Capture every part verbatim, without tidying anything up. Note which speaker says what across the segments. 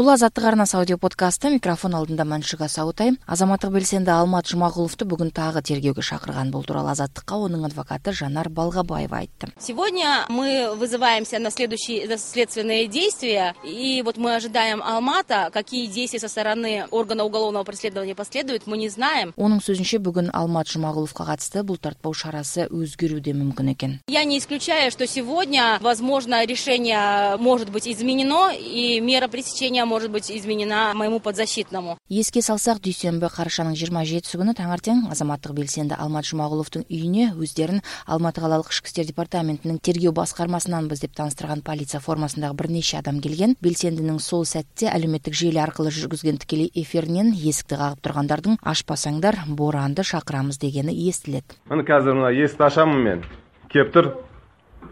Speaker 1: Бул Азаттык арнасы аудио подкасты. Микрофон алдында Маншыга Саутай. Азаматтык белсенди Алмат Жумагуловду бүгүн тагы тергөөгө шакырган. Бул тууралуу Азаттыкка онун адвокаты Жанар Балгабаева айтты.
Speaker 2: Сегодня мы вызываемся на следующие следственные действия, и вот мы ожидаем Алмата, какие действия со стороны органа уголовного преследования последуют, мы не знаем.
Speaker 1: Онун сөзүнчө бүгүн Алмат Жумагуловго катысты бул тартпоо шарасы өзгөрүүдө мүмкүн экен.
Speaker 2: Я не исключаю, что сегодня, возможно, решение может быть изменено, и мера пресечения может быть изменена моему подзащитному.
Speaker 1: Эске салсак, дүйсөнбү карашанын жыйырма жетиси күнү таңертең азаматтык белсенди Алмат Жумагуловдун үйүнө өздөрүн Алматы калалык ишки иштер департаментинин тергөө баскармасынанбыз деп тааныштырган полиция формасындагы бир нече адам келген. Белсендинин сол сәтте алюметтик жели аркылуу жүргүзгөн тикелей эфиринен эсикти кагып тургандардын ашпасаңдар бооранды шакырамыз дегени эстилет.
Speaker 3: Мына азыр мына эсикти ачамын мен. Кеп тур.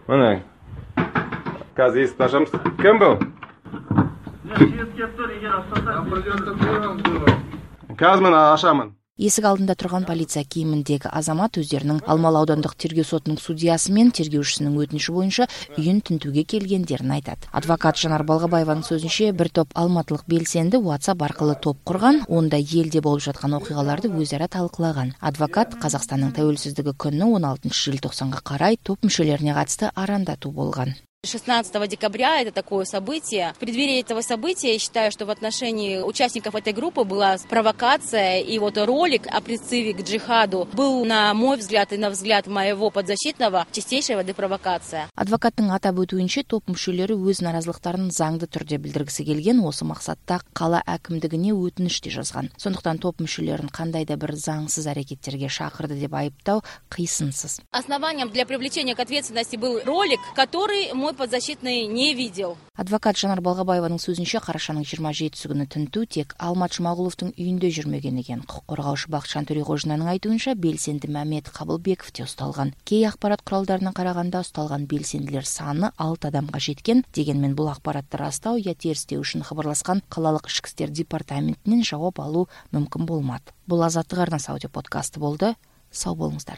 Speaker 3: Мына. Казыр эсикти ачамыз. Ким бул? Казыр мына ачамын.
Speaker 1: Эсик алдында турган полиция кийиминдеги азамат өздөрүнүн Алмалы аудандык тергөө сотунун судьясы менен тергөөчүсүнүн өтүнүшү боюнча үйүн тинтүүгө келгендерин айтат. Адвокат Жанар Балгабаеванын сөзүнчө, бир топ алматылык белсенди WhatsApp аркылуу топ курган, онда элде болуп жаткан окуяларды өз ара талкылаган. Адвокат Казакстандын тәуелсиздиги күнүнө он алтынчы желтоқсанга карай топ мүчөлөрүнө катысты арандатуу болгон.
Speaker 2: шестнадцатого декабря это такое событие. В преддверии этого события я считаю, что в отношении участников этой группы была провокация, и вот ролик о призыве к джихаду был, на мой взгляд и на взгляд моего подзащитного, чистейшей воды провокация.
Speaker 1: Адвокаттын атап өтүүнчө, топ мүчөлөрү өз наразылыктарын заңды түрдө билдиргиси келген, осы максатта кала акимдигине өтүнүштү жазган. Сондуктан топ мүчөлөрүн кандай да бир заңсыз аракеттерге шакырды деп айыптау кыйсынсыз.
Speaker 2: Основанием для привлечения к ответственности был ролик, который мой подзащитный не видел.
Speaker 1: Адвокат Жанар Балгабаеванын сөзүнчө, карашанын жыйырма жетиси күнү тинтүү тек Алмат Жумагуловдун үйүндө жүрмөгөн экен. Укук коргоочу Бакытжан Төрөгожинанын айтуунча, белсенди Мамед Кабылбеков те усталган. Кей акпарат куралдарына караганда усталган белсендилер саны алты адамга жеткен. Дегенмен бул акпаратты растоо я терстөө үчүн кабарласкан калалык ишки иштер департаментинен жооп алуу мүмкүн болмады. Бул Азаттык арнасы аудио подкасты болду. Сау болуңуздар.